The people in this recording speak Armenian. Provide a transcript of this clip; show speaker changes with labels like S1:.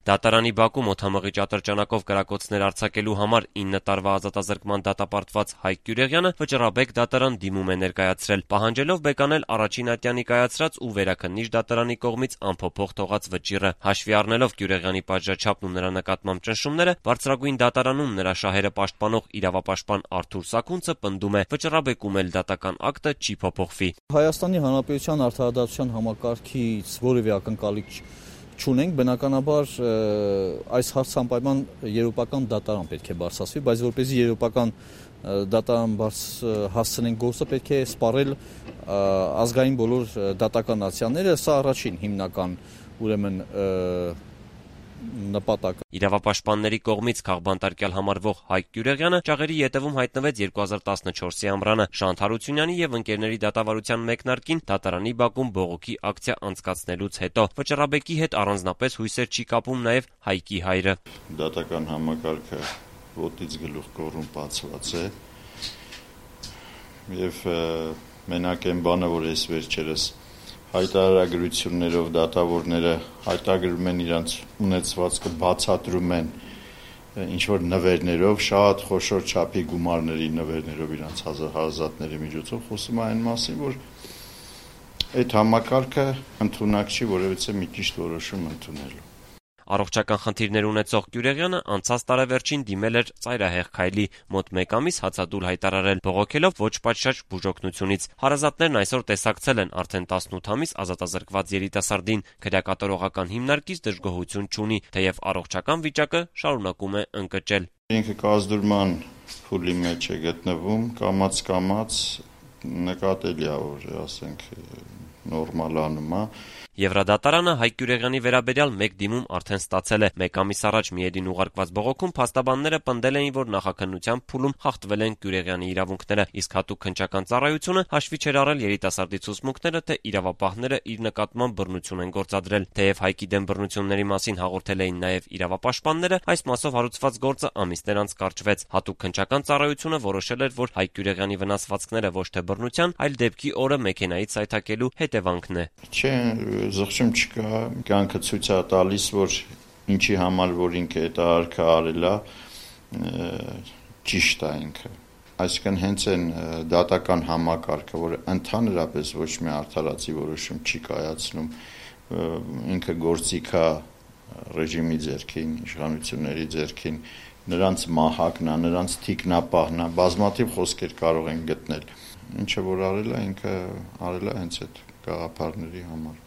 S1: Դատարանի բակում օդամղիչ ատրճանակով կրակոցներ արձակելու համար 9 տարվա ազատազրկման դատապարտված Հայկ Գյուրեղյանը վճռաբեկ դատարան դիմում է ներկայացրել, պահանջելով բեկանել առաջին ատյանի կայացրած ու վերաքննիչ դատարանի կողմից անփոփոխ թողած վճիռը։ Հաշվի առնելով Գյուրեղյանի պատժաչափն ու նրա նկատմամբ ճնշումները, բարձրագույն դատարանում նրա շահերը պաշտպանող իրավապաշտպան Արթուր Սաքունցը պնդում է, վճռաբեկում էլ դատական ակտը չի փոփոխվի։
S2: Հայաստանի Հանրապետության արդարադատության համակարգից որևէ ակնկալիք չունենք, բնականաբար այս հարցը անպայման եվրոպական դատարան պետք է բարձրացվի, բայց որպեսզի եվրոպական դատարան հասցնենք գործը, պետք է սպառել ազգային բոլոր դատական ակցիաները, սա առաջին հիմնական ուրեմն նպատակը։
S1: Իրավապաշտպանների կողմից քաղբանտարկյալ համարվող Հայկ Գյուրեղյանը ճաղերի ետևում հայտնվեց 2014-ի ամռանը Շանթ Հարությունյանի եւ ընկերների դատավարության մեկնարկին դատարանի բակում բողոքի ակցիա անցկացնելուց հետո։ Վճռաբեկի հետ առանձնապես հույսեր չի կապում նաեւ Հայկի հայրը։
S3: Դատական համակարգը ոտից գլուխ կոռումպացված է եւ մենակ այն բանը, որ այս վերջերս հայտարարագրություններով դատավորները հայտարարում են իրենց ունեցվածքը, բացատրում են ինչ-որ նվերներով, շատ խոշոր չափի գումարների նվերներով իրենց հարազատների միջոցով, խոսում է այն մասին, որ այդ համակարգը ընդունակ չի որևիցե մի ճիշտ որոշում ընդունելու։
S1: Առողջական խնդիրներ ունեցող Գյուրեղյանը անցած տարեվերջին դիմել էր ծայրահեղ քայլի, մոտ 1 ամիս հացադուլ հայտարարել, բողոքելով ոչ պատշաճ բուժօգնությունից։ Հարազատներն այսօր տեսակցել են արդեն 18 ամիս ազատազրկված երիտասարդին, քրեակատարողական հիմնարկից դժգոհություն չունի, թեև առողջական վիճակը շարունակում է ընկճել։
S3: Ինքը կազդուրման փուլի մեջ է գտնվում, կամաց նկատելի է, որ ասենք նորմալանում է։
S1: Եվրադատարանը Հայկ Գյուրեղյանի վերաբերյալ մեկ դիմում արդեն ստացել է։ 1 ամիս առաջ Միեդին ուղարկված բողոքում փաստաբանները պնդել էին, որ նախաքննության փուլում խախտվել են Գյուրեղյանի իրավունքները, իսկ հատուկ քննչական ծառայությունը հաշվի չէր առել երիտասարդի ցուցմունքները, թե իրավապահները իր նկատմամբ բռնություն են գործադրել։ Թեև Հայկի դեմ բռնությունների մասին հաղորդել էին նաև իրավապաշտպանները, այս մասով հարուցված գործը ամիսներ անց կարճվեց։ Հատուկ քննչական ծառայությունը որոշել էր, որ Հայկ Գյուրեղյանի վնասվածքները ոչ թե բռնության, այլ դեպքի օրը մեքենայից սայթաքելու հետևանքն է։
S3: Չէ, զղջում չկա, կյանքը ցույց է տալիս, որ ինչի համար որ ինքը այդ արարքը արել է, ճիշտ է ինքը։ Այսինքն հենց այն դատական համակարգը, որը ընդհանրապես ոչ մի արդարացի որոշում չի կայացնում, ինքը գործիք է ռեժիմի ձեռքին, իշխանությունների ձեռքին, նրանց մահակն է, նրանց թիկնապահն է, բազմաթիվ խոսքեր կարող են գտնել։ Ինչը որ արել է, ինքը արել է հենց այդ գաղափարների համար։